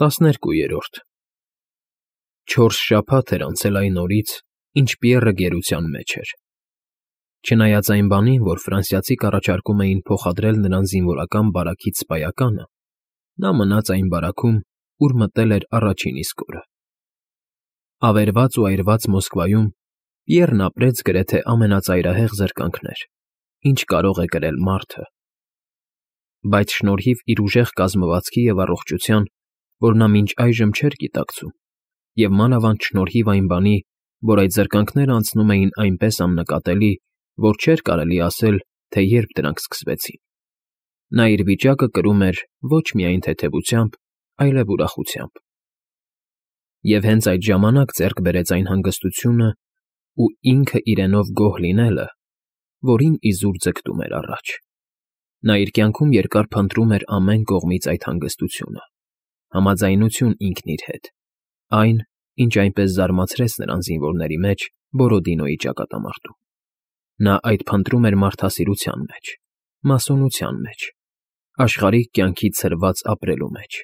12 4 շաբաթ էր անցել այն օրից, ինչ Պիեռը գերության մեջ էր։ Չնայած այն բանին, որ ֆրանսիացիք առաջարկում էին փոխադրել նրան զինվորական բարակից սպայականը, նա մնաց այն բարաքում, ուր մտել էր առաջին իսկ օրը։ Ավերված ու այրված Մոսկվայում Պիեռն ապրեց գրեթե ամենածայրահեղ զրկանքներ, ինչ կարող է կրել մարդը։ Բայց շնորհիվ իր ուժեղ կազմվածքի և առողջության, որ նա մինչ այժմ չէր գիտակցում, և մանավանդ շնորհիվ այն բանի, որ այդ զրկանքներն անցնում էին այնպես աննկատելի, որ չէր կարելի ասել, թե երբ դրանք սկսվեցին, նա իր վիճակը կրում էր ոչ միայն թեթևությամբ, այլև ուրախությամբ։ Եվ հենց այդ ժամանակ ձեռք բերեց այն հանգստությունը ու ինքը իրենով գոհ լինելը, որին իզուր ձգտում էր առաջ։ Նա իր կյանքում երկար փնտրում էր ամեն կողմից այդ հանգստությունը, համաձայնություն ինքն իր հետ, այն, ինչ այնպես զարմացրեց նրան զինվորների մեջ Բորոդինոյի ճակատամարտում։ Նա այդ փնտրում էր մարդասիրության մեջ, մասոնության մեջ, աշխարհիկ կյանքի ցրված ապրելու մեջ,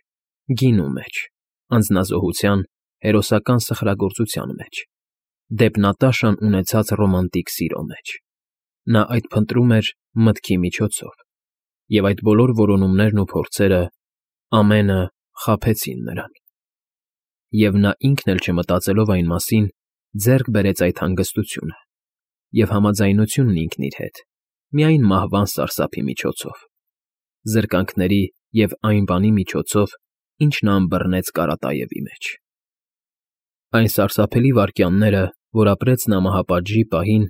գինու մեջ, անձնազոհության, հերոսական սխրագործության մեջ, դեպնատաշան ունեցած ռոմանտիկ սիրո մեջ։ Նա այդ փնտրում էր մտքի միջոցով, և այդ բոլոր որոնումներն ու փորձերը ամենը խաբեցին նրան։ Եվ նա ինքն էլ չմտածելով այն մասին, ձեռք բերեց այդ հանգստությունը և համաձայնությունն ինքն իր հետ, միայն մահվան սարսափի միջոցով, զրկանքների և այն բանի միջոցով, ինչ նա ըմբռնեց Կարատաևի մեջ։ Այն սարսափելի վայրկյանները, որ ապրեց նա մահապատժի պահին,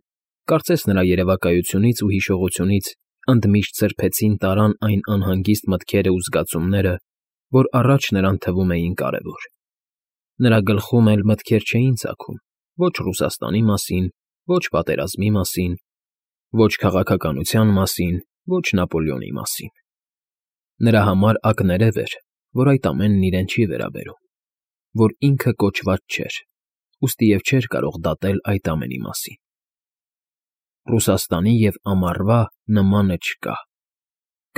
կարծես նրա երևակայությունից ու հիշողությունից ընդմիշտ սրբեցին տարան այն անհանգիստ մտքերը ու զգացումները, որ առաջ նրան թվում էին կարևոր։ Նրա գլխում էլ մտքեր չէին ծագում ոչ Ռուսաստանի մասին, ոչ պատերազմի մասին, ոչ քաղաքականության մասին, ոչ Նապոլեոնի մասին։ Նրա համար ակներև էր, որ այդ ամենն իրեն չի վերաբերում, որ ինքը կոչված չէր, ուստի և չէր կարող դատել այդ ամենի մասին։ Ռուսաստանի և ամառվա նմանը չկա,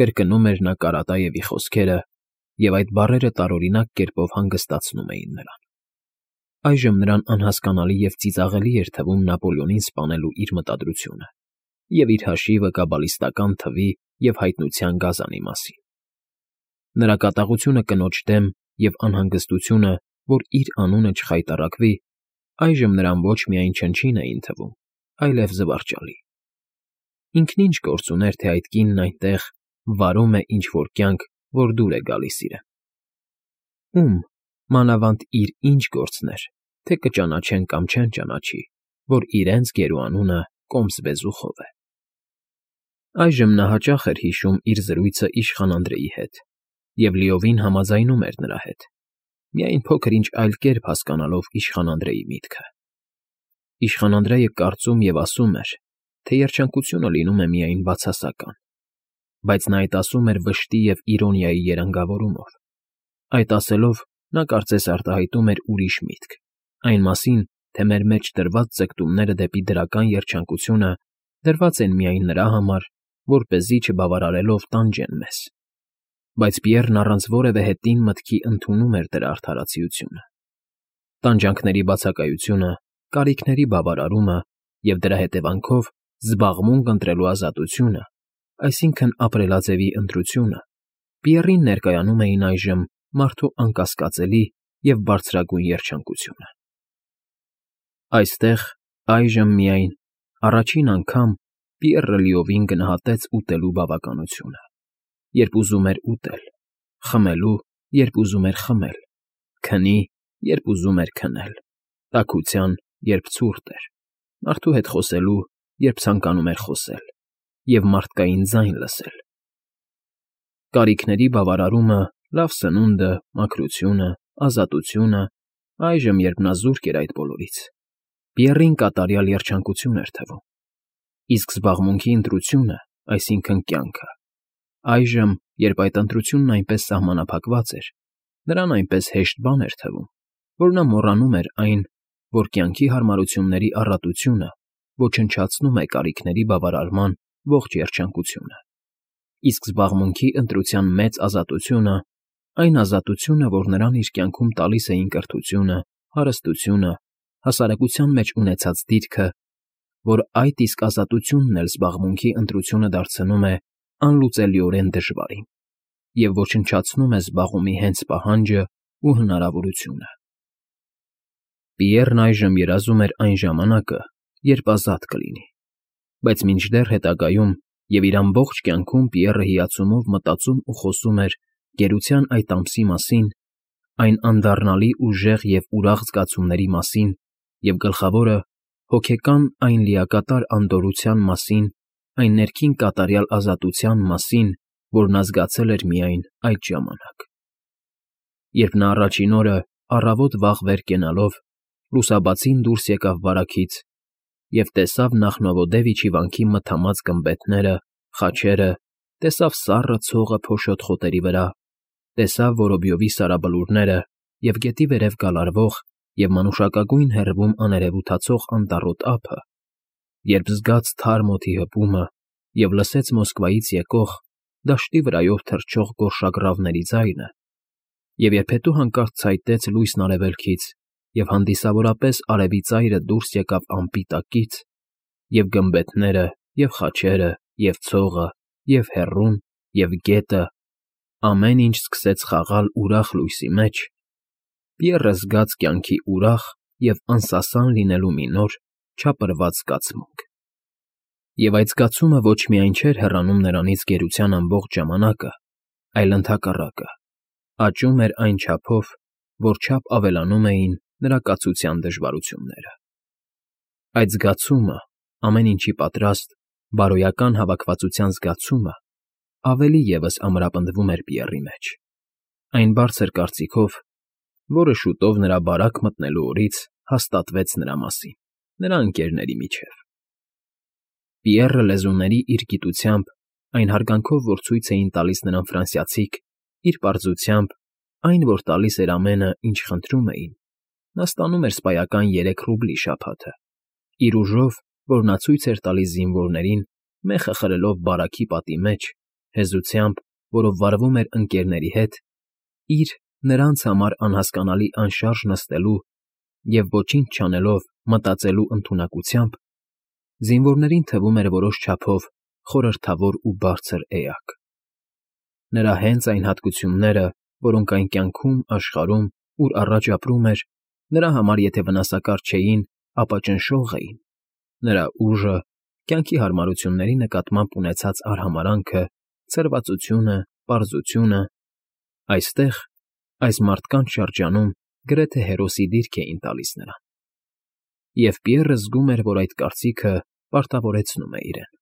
կրկնում էր նա Կարատաևի խոսքերը, և այդ բառերը տարօրինակ կերպով հանգստացնում էին նրան։ Այժմ նրան անհասկանալի և ծիծաղելի էր թվում Նապոլեոնին սպանելու իր մտադրությունը և իր հաշիվը կաբալիստական թվի և հայտնության գազանի մասին։ Նրա կատաղությունը կնոջ դեմ և անհանգստությունը, որ իր անունը չխայտառակվի, այժմ նրան ոչ միայն չնչին էին թվում, այլև զվարճալի։ Ինքն ինչ գործ ուներ, թե այդ կինն այնտեղ վարում է ինչ֊որ կյանք, որ դուր է գալիս իրեն։ Ում, մանավանդ իր ինչ գործն էր, թե կճանաչեն կամ չեն ճանաչի, որ իրենց գերուանունը Կոմս֊վեզուխով է։ Այժմ նա հաճախ էր հիշում իր զրույցը իշխան Անդրեի հետ և լիովին համաձայնում էր նրա հետ, միայն փոքր֊ինչ այլ կերպ հասկանալով իշխան Անդրեի միտքը։ Իշխան Անդրեյը կարծում և ասում էր, թե երջանկությունը լինում է միայն բացասական, բայց նա այդ ասում էր վշտի և իրոնիայի երանգավորումով։ Այդ ասելով, նա կարծես արտահայտում էր ուրիշ միտք, այն մասին, թե մեր մեջ դրված ձգտումները դեպի դրական երջանկությունը դրված են միայն նրա համար, որպեսզի չբավարարելով տանջեն մեզ։ Բայց Պիեռն առանց որևէ հետին մտքի ընդունում էր դրա արդարացիությունը։ Տանջանքների բացակայությունը, կարիքների բավարարումը և դրա հետևանքով զբաղմունք ընտրելու ազատությունը, այսինքն ապրելաձևի ընտրությունը, Պիեռին ներկայանում էին այժմ մարդու անկասկածելի և բարձրագույն երջանկությունը։ Այստեղ, այժմ միայն, առաջին անգամ Պիեռը լիովին գնահատեց ուտելու բավականությունը, երբ ուզում էր ուտել, խմելու, երբ ուզում էր խմել, քնի, երբ ուզում էր քնել, տաքության, երբ ցուրտ էր, մարդու հետ խոսելու, երբ ցանկանում էր խոսել, և մարդկային ձայն լսել։ Կարիքների բավարարումը, լավ սնունդը, մաքրությունը, ազատությունը, այժմ, երբ նա զուրկ էր այդ բոլորից, Պիեռին կատարյալ երջանկություն էր թվում։ Իսկ զբաղմունքի ընտրությունը, այսինքն կյանքը, այժմ, երբ այդ ընտրությունն այնպես սահմանափակված էր, նրան այնպես հեշտ բան էր թվում, որ նա մոռանում էր այն, որ կյանքի հարմարությունների առատությունը ոչնչացնում է կարիքների բավարարման ողջ երջանկությունը, իսկ զբաղմունքի ընտրության մեծ ազատությունը այն ազատությունը, որ նրան իր կյանքում տալիս էին կրթությունը, հարստությունը, հասարակության մեջ ունեցած դիրքը, որ այդ իսկ ազատությունն էլ զբաղմունքի ընտրությունը դարձնում է անլուծելիորեն դժվարին և ոչնչացնում է զբաղումի հենց պահանջը ու հնարավորությունը։ Պիեռն այժմ երազում էր այն ժամանակը, երբ ազատ կլինի, բայց մինչդեռ հետագայում և իր ամբողջ կյանքում Պիեռը հիացումով մտածում ու խոսում էր գերության այդ ամսի մասին, այն անդառնալի ուժեղ և ուրախ զգացումների մասին և, գլխավորը, հոգեկան այն լիակատար անդորրության մասին, այն ներքին կատարյալ ազատության մասին, որ նա զգացել էր միայն այդ ժամանակ։ Երբ նա առաջին օրը, առավոտ վաղ վեր կենալով, լուսաբացին դուրս եկավ բարաքից և տեսավ Նախնովոդևիչի վանքի մթամած գմբեթները, խաչերը, տեսավ սառը ցողը փոշոտ խոտերի վրա, տեսավ Որոբյովի սարաբլուրները և գետի վերև գալարվող և մանուշակագույն հեռվում աներևութացող անտառոտ ափը, երբ զգաց թարմ օդի հպումը և լսեց Մոսկվայից եկող, դաշտի վրայով թռչող գորշագռավների ձայնը, և երբ հետո հանկարծ ցայտեց լույսն արևելքից, և հանդիսավորապես արևի ծայրը դուրս եկավ ամպի տակից, և գմբեթները, և խաչերը, և ցողը, և հեռուն, և գետը, ամեն ինչ սկսեց խաղալ ուրախ լույսի մեջ, Պիեռը զգաց կյանքի ուրախ և անսասան լինելու մի նոր, չափռված զգացմունք։ Եվ այդ զգացումը ոչ միայն չէր հեռանում նրանից գերության ամբողջ ժամանակը, այլ ընդհակառակը, աճում էր այն չափով, որ չափ ավելանում էին նրա կացության դժվարությունները։ Այդ զգացումը, ամեն ինչի պատրաստ, բարոյական հավաքվածության զգացումը ավելի ևս ամրապնդվում էր Պիեռի մեջ, այն բարձր կարծիքով, որը շուտով նրա բարակ մտնելու օրից հաստատվեց նրա մասին, նրա ընկերների միջև։ Պիեռը լեզուների իր գիտությամբ, այն հարգանքով, որ ցույց էին տալիս նրան ֆրանսիացիք, իր պարզությամբ, այն, որ տալիս էր ամենը, ինչ խնդրում էին, նա ստանում էր սպայական 3 ռուբլի շաբաթը, իր ուժով, որ նա ցույց էր տալիս զինվորներին, մեխը խրելով բարաքի պատի մեջ, հեզությամբ, որով վարվում էր ընկերների հետ, իր նրանց համար անհասկանալի անշարժ նստելու և ոչինչ չանելով մտածելու ընդունակությամբ, զինվորներին թվում էր որոշ չափով խորհրդավոր ու բարձր էակ։ Նրա հենց այն հատկությունները, որոնք այն կյանքում, աշխարհում, ուր առաջ ապրում էր, նրա համար եթե վնասակար չէին, ապա ճնշող էին, նրա ուժը, կյանքի հարմարությունների նկատմամբ ունեցած արհամարհանքը, ցրվածությունը, պարզությունը, այստեղ, այս մարդկանց շրջանում գրեթե հերոսի դիրք էին տալիս նրան։ Եվ Պիեռը զգում էր, որ այդ կարծիքը պարտավորեցնում է իրեն։